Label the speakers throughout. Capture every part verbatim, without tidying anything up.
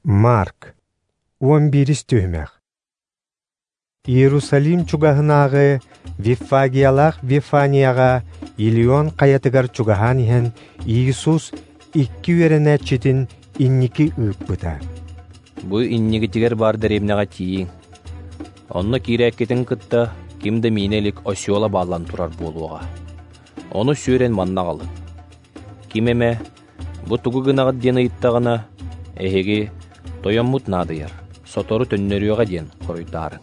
Speaker 1: Марк, уон биирис түһүмэх. Иерусалим чугаһынааҕы Виффагиялаах Вифанияҕа Илион хайатыгар чугаһаан иһэн, Иисус икки үөрэнээччитин инники ыыппыта.
Speaker 2: Бу иннигитигэр баар дэриэбинэҕэ тиийиҥ. Онно киирээккитин кытта ким да миинэ илик осёла бааллан турар буолуоҕа. Ону сүөрэн манна аҕалыҥ. Ким эмэ бу тугу гынаҕыт диэн ыйыттаҕына, эһиги тойоммут наадыйар, сотору төннөрүөҕэ диэн хоруйдаарыҥ.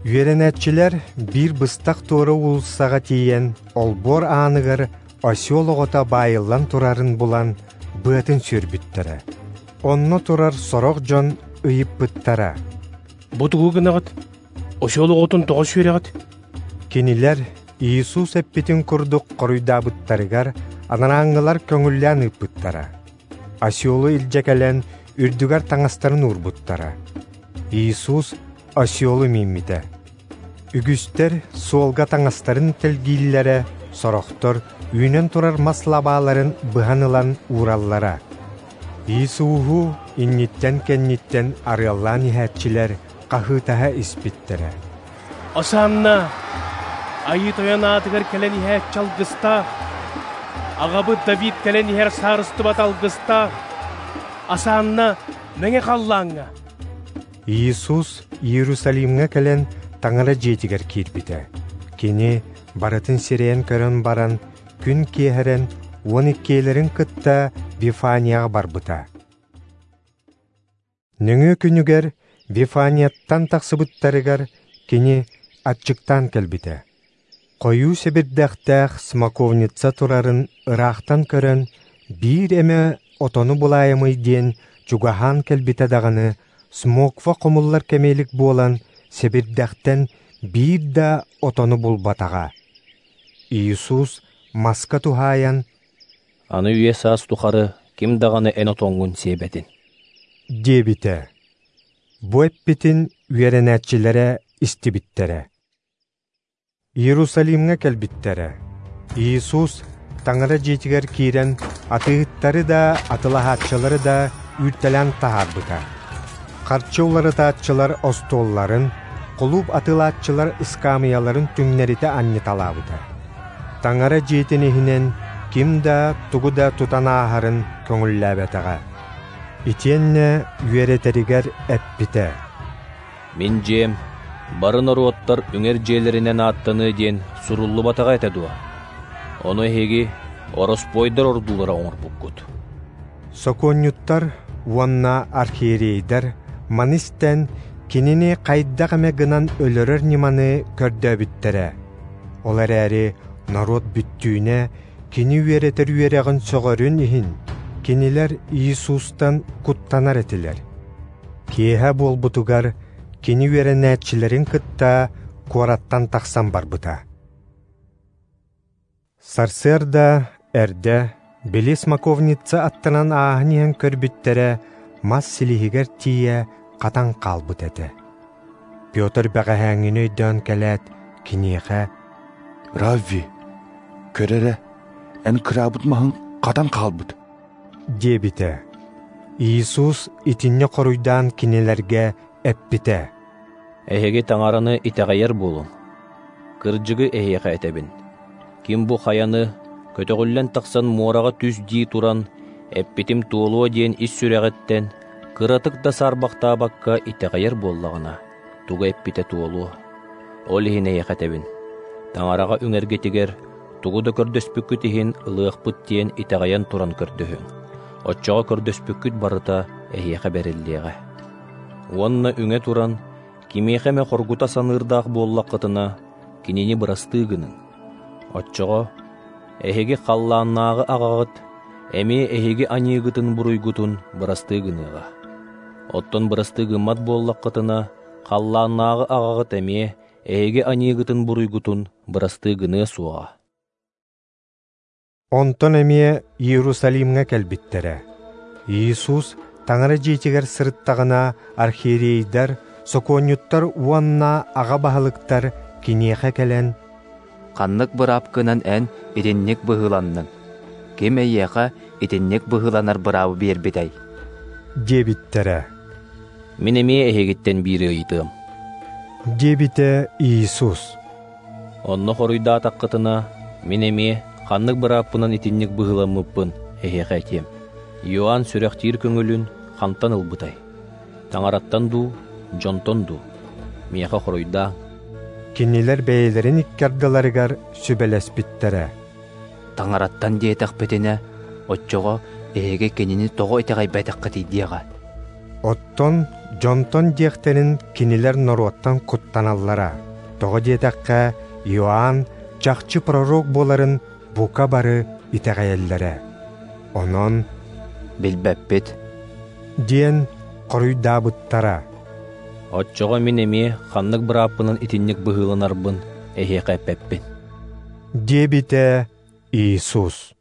Speaker 1: Үөрэнээччилэр биир быстах туора уулуссаҕа тиийэн, олбуор ааныгар осёл оҕото баайыллан турарын булан, быатын сүөрбүттэрэ. Онно турар сорох дьон ыйыппыттара.
Speaker 3: Бу тугу гынаҕыт? Осёл оҕотун тоҕо сүөрэҕит?
Speaker 1: Кинилэр Иисус эппитин курдук хоруйдаабыттарыгар анарааҥҥылар көҥүллээн ыыппыттара. Осёлу илдьэ кэлэн үрдүгэр таҥастарын уурбуттара. Иисус осёлу мииммитэ. Үгүстэр суолга таҥастарын тэлгииллэрэ, сорохтор үүнэн турар мас лабааларын быһан ылан уураллара. Иисуһу инниттэн-кэнниттэн арыаллаан иһээччилэр хаһыытаһа испиттэрэ.
Speaker 3: Осанна! Айыы тойон аатыгар кэлэн иһээччи алгыстаах! Аҕабыт Давид кэлэн иһэр саарыстыбат алгыстаах! Осанна мэҥэ халлааҥҥа!
Speaker 1: Иисус Иерусалимҥа кэлэн Таҥара дьиэтигэр киирбитэ. Кини барытын сирэйэн көрөн баран, күн киэһэрэн уон иккиэлэрин кытта Вифанияҕа барбыта. Нөҥүө күнүгэр Вифанияттан тахсыбыттарыгар кини аччыктаан кэлбитэ. Хойуу сэбирдэхтээх смоковница турарын ыраахтан көрөн, биир эмэ отону булаайамый диэн чугаһаан кэлбитэ даҕаны, смоква хомуллар кэмиэлик буолан, сэбирдэхтэн биир да отону булбатаҕа. Иисус маска туһаайан,
Speaker 2: «Аны үйэ саас тухары ким даҕаны эн отоҥҥун сиэбэтин»
Speaker 1: диэбитэ. Бу эппитин үөрэнээччилэрэ истибиттэрэ. Иерусалимҥа кэлбиттэрэ. Иисус Таҥара дьиэтигэр киирэн атыыһыттары да, атылаһааччылары да үүртэлээн таһаарбыта. Харчы уларытааччылар остуолларын, кулууп атылааччылар ыскаамыйаларын түҥнэритэ анньыталаабыта. Таҥара дьиэтин иһинэн ким да тугу да тутан ааһарын көҥүллээбэтэҕэ. Итиэннэ үөрэтэригэр эппитэ.
Speaker 2: Мин дьиэм бары норуоттар үҥэр дьиэлэринэн ааттаныы диэн суруллубатаҕа этэ дуо? Ону эһиги ороспуойдар ордуулара оҥорбуккут.
Speaker 1: Сокуонньуттар уонна архиерейдэр маны истэн кинини хайдах эмэ гынан өлөрөр ньыманы көрдөөбүттэрэ. Ол эрээри норуот бүттүүнэ кини үөрэтэр үөрэҕин сөҕөрүн иһин, кинилэр Иисустан куттанар этилэр. Киэһэ буолбутугар кини үөрэнээччилэрин кытта куораттан тахсан барбыта. Сарсыарда эрдэ били смоковница аттынан ааһан иһэн көрбүттэрэ, мас силиһигэр тиийэ хатан хаалбыт этэ. Петр бэҕэһээҥҥини өйдөөн кэлээт, киниэхэ
Speaker 4: «Равви, көр эрэ, эн кыраабыт маһыҥ хатан хаалбыт»
Speaker 1: диэбитэ. Иисус итиннэ хоруйдаан кинилэргэ эппитэ.
Speaker 2: Эһиги Таҥараны итэҕэйэр буолуҥ. Кырдьыгы эһиэхэ этэбин. Ким бу хайаны көтөҕүллэн тахсан муораҕа түс дии туран, эппитим туолуо диэн ис сүрэҕиттэн кыратык да саарбахтаабакка итэҕэйэр буоллаҕына, тугу эппитэ туолуо. Ол иһин эһиэхэ этэбин. Таҥараҕа үҥэргитигэр тугу да көрдөспүккүт иһин ылыахпыт диэн итэҕэйэн туран көрдөһүҥ. Оччоҕо көрдөспүккүт барыта эһиэхэ бэриллиэҕэ. Уонна үҥэ туран, кимиэхэ эмэ хоргута саныырдаах буоллаххытына, кинини бырастыы гыныҥ. Оччоҕо эһиги халлааннааҕы аҕаҕыт, эмиэ эһиги аньыыгытын буруйгутун бырастыы гыныаҕа. Оттон бырастыы гыммат буоллаххытына, халлааннааҕы аҕаҕыт эмиэ эһиги аньыыгытын буруйгутун бырастыы гыныа суоҕа.
Speaker 1: Онтон эмиэ Иерусалимҥа кэлбиттэрэ. Иисус Таҥара дьиэтигэр сырыттаҕына, архиерейдар, сокуонньуттар уонна аҕа баһылыктар киниэхэ кэлэн
Speaker 5: «Ханнык быраапкынан эн итинник быһыыланныҥ? Ким эйиэхэ итинник быһыыланар быраабы биэрбитэй?»
Speaker 1: Диэбиттэрэ.
Speaker 2: Мин эмиэ эһигиттэн биири ыйытыам.
Speaker 1: Диэбитэ Иисус.
Speaker 2: Онно хоруйдаатаххытына, мин эмиэ ханнык бырааппынан итинник быһыыламмыппын эһиэхэ этиэм. Иоанн сүрэхтиир көҥүлүн хантан ылбытай? Таҥараттан дуу, дьонтон дуу? Миэхэ хоруйдааҥ.
Speaker 1: Кинилэр бэйэлэрин икки ардыларыгар сүбэлэспиттэрэ.
Speaker 5: Таҥараттан диэтэхпитинэ, оччоҕо эһиги кинини тоҕо итэҕэйбэтэххитий диэҕэ.
Speaker 1: Оттон дьонтон диэхтэрин кинилэр норуоттан куттаналлара. Тоҕо диэтэххэ, Иоанн чахчы пророк буоларын бука бары итэҕэйэллэрэ. Онон
Speaker 5: Билбэппит.
Speaker 1: Диэн хоруйдаабыттара.
Speaker 2: Оччоҕо мин эмиэ ханнык бырааппынан итинник быһыыланарбын эһиэхэ эппэппин.
Speaker 1: Диэбитэ Иисус.